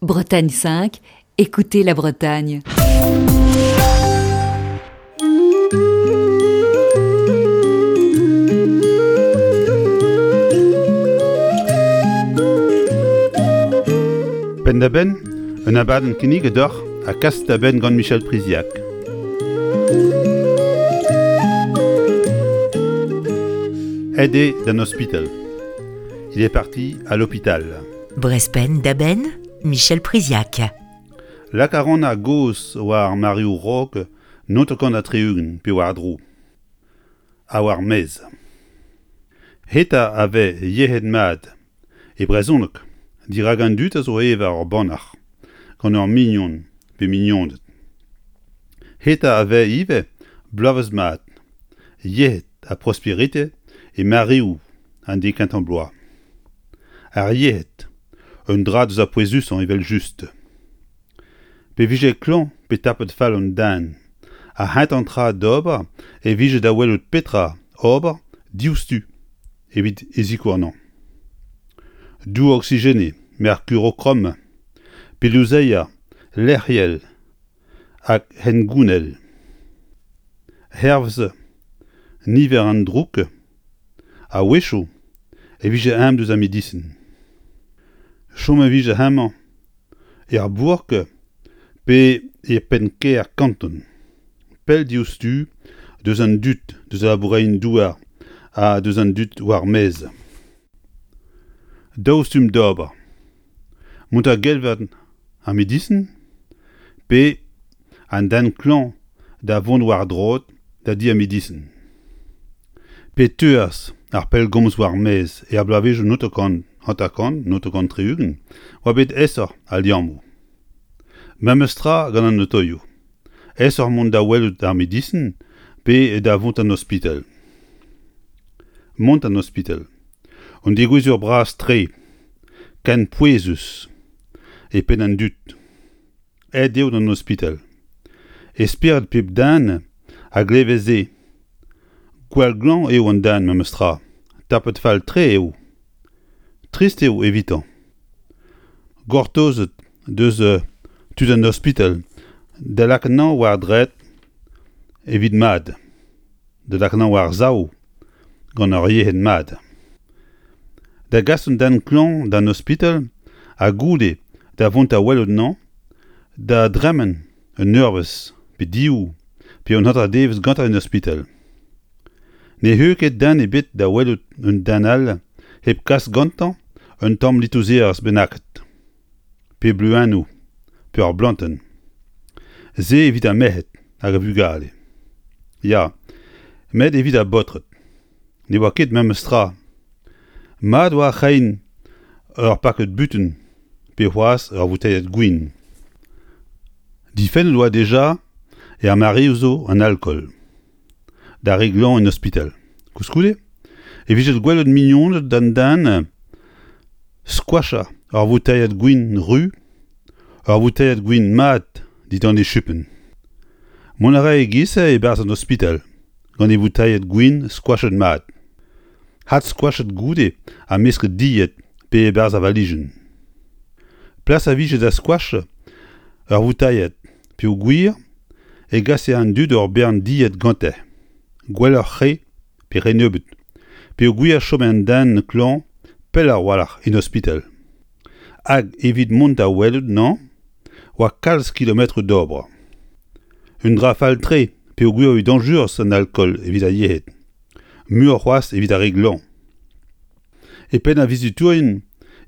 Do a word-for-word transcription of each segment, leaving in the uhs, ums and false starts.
Bretagne cinq, écoutez la Bretagne. Penn-da-benn, un abadenn kinniget deoc'h ha kaset da benn gant Michel Priziac. Aet eo d'an ospital. Il est parti à l'hôpital. Brezh Penn-da-Benn, Michel Priziac. Lak a ran ar gaoz war ar mareoù raok naontek ha tri-ugent pe war-dro. Ha war maez. Heta a vez yec'hed mat e brezhoneg dirak an dud a zo evañ ur bannac'h gant ur mignon pe mignoned. Heta a vez ivez bloavezh mat, yec'hed ha prosperite e mareoù an dek kentañ bloaz. Ar yec'hed, un dra deus ar pouezusañ evel-just. Pe vije klañv pe tapet fall an den, ar c'hentañ tra d'ober e vije da welout petra ober diouzhtu evit e sikour anezhañ. Dour oksigenet, merkurokrom, pe louzeier lec'hiel hag hengounel. Hervez niver an droug, a-wechoù e vije ezhomm deus ar medisin. Chom e vije hemañ er bourk pe e penn-kêr kanton, pell diouzhtu deus an dud deus al labourerien-douar ha deus an dud war-maez. Daou stumm d'ober. Mont da gelver ar medisin pe an den klañv da vont war-droad da di ar medisin. Pe teuas ar pellgomz war-maez er bloavezhioù naontek hanter-kant, naontek tri-ugent, oa bet aesoc'h al liammoù. Memes tra gant an otoioù. Aesoc'h mont da welout ar medisin pe da vont d'an ospital. Mont d'an ospital. Un degouezh bras-tre, ken pouezus e penn an dud. Aet eo d'an ospital. E spered pep den a gleve se. Gwall glañv eo an den memes tra. Tapet fall-tre eo. Trist eo evitañ. Gortozet deus tud an ospital da lakaat anezhañ war droad evit mat, da lakaat anezhañ war-sav gant ur yec'hed mat. Da gas un den klañv d'an ospital ha goude da vont da welout anezhañ, da dremen un eurvezh pe div pe un hanter-devezh gantañ en ospital. Ne c'hell ket den ebet da welout un den all hep kas gantañ un tamm litouzerezh bennaket, pe bleuennoù, pe ur blantenn. Se evit ar merc'hed hag ar vugale. Ya, met evit ar baotred. Ne oa ket memes tra. Mat oa reiñ ur pakad butun pe c'hoazh ur voutailhad gwin. Difennet oa dija er mareoù zo an alkool. D'ar re glañv en ospital. Koulskoude e vije gwelet mignoned d'an den skoachañ ur voutailhad gwin ruz, ur voutailhad gwin mat dindan e chupenn. Mont a rae e-giz-se e-barzh an ospital gant e voutailhad gwin skoachet mat. Hadskoachet goude ha mesket dilhad pe e-barzh ar valijenn. Plas a vije da skoachañ ur voutailhad peogwir e gase an dud ur bern dilhad gante, gwelloc'h re pe re nebeut, peogwir chome an den klañv pell a-walc'h en ospital. Hag evit mont da welout anezhañ oa kalz kilometroù d'ober. Un dra fall-tre peogwir eo dañjerus an alkool evit ar yec'hed, muioc'h c'hoazh evit ar re glañv. E penn ar vizitourien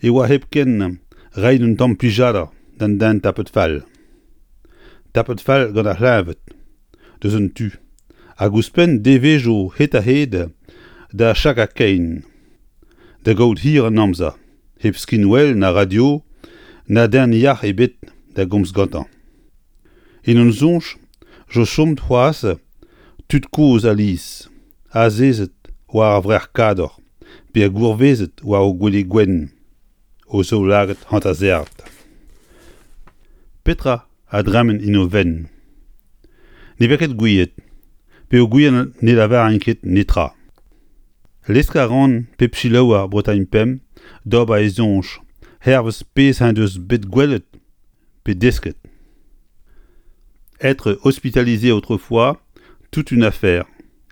e oa hepken reiñ un tamm plijadur d'an den tapet fall. Tapet fall gant ar c'hleñved, deus un tu, hag ouzhpenn devezhioù hed-ha-hed da chakañ kein, da gaout hir an amzer, hep skinwel na radio, na den yac'h ebet da gomz gantañ. En hon soñj zo chomet c'hoazh tud kozh alies, azezet war ar vrec'h-kador pe gourvezet war o gwele gwenn, o zaoulagad hanter-serret. Petra a dremen en o fenn? Ne vez ket gouiet, peogwir ne lavarint ket netra. Lesk a ran pep selaouer Bretagne pemp d'ober e soñj, hervez pezh en deus bet gwelet pe desket. Être hospitalisé autrefois, toute une affaire,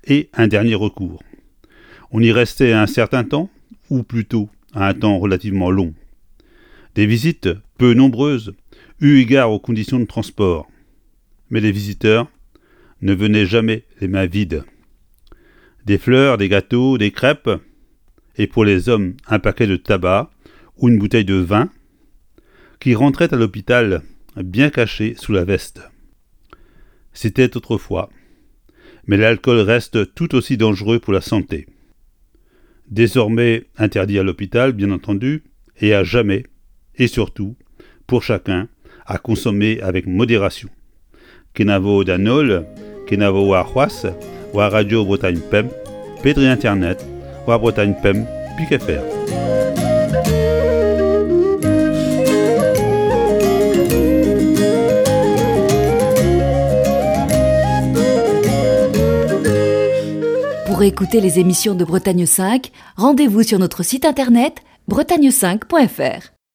et un dernier recours. On y restait un certain temps, ou plutôt un temps relativement long. Des visites peu nombreuses, eu égard aux conditions de transport. Mais les visiteurs ne venaient jamais les mains vides. Des fleurs, des gâteaux, des crêpes, et pour les hommes un paquet de tabac ou une bouteille de vin, qui rentrait à l'hôpital bien caché sous la veste. C'était autrefois, mais l'alcool reste tout aussi dangereux pour la santé. Désormais interdit à l'hôpital, bien entendu, et à jamais, et surtout, pour chacun, à consommer avec modération. Kenavo d'an holl, kenavo warc'hoazh, war Radio Bretagne Pemp, pe dre internet, war Bretagne Pemp, pik F R. Pour écouter les émissions de Bretagne cinq, rendez-vous sur notre site internet bretagne cinq point F R.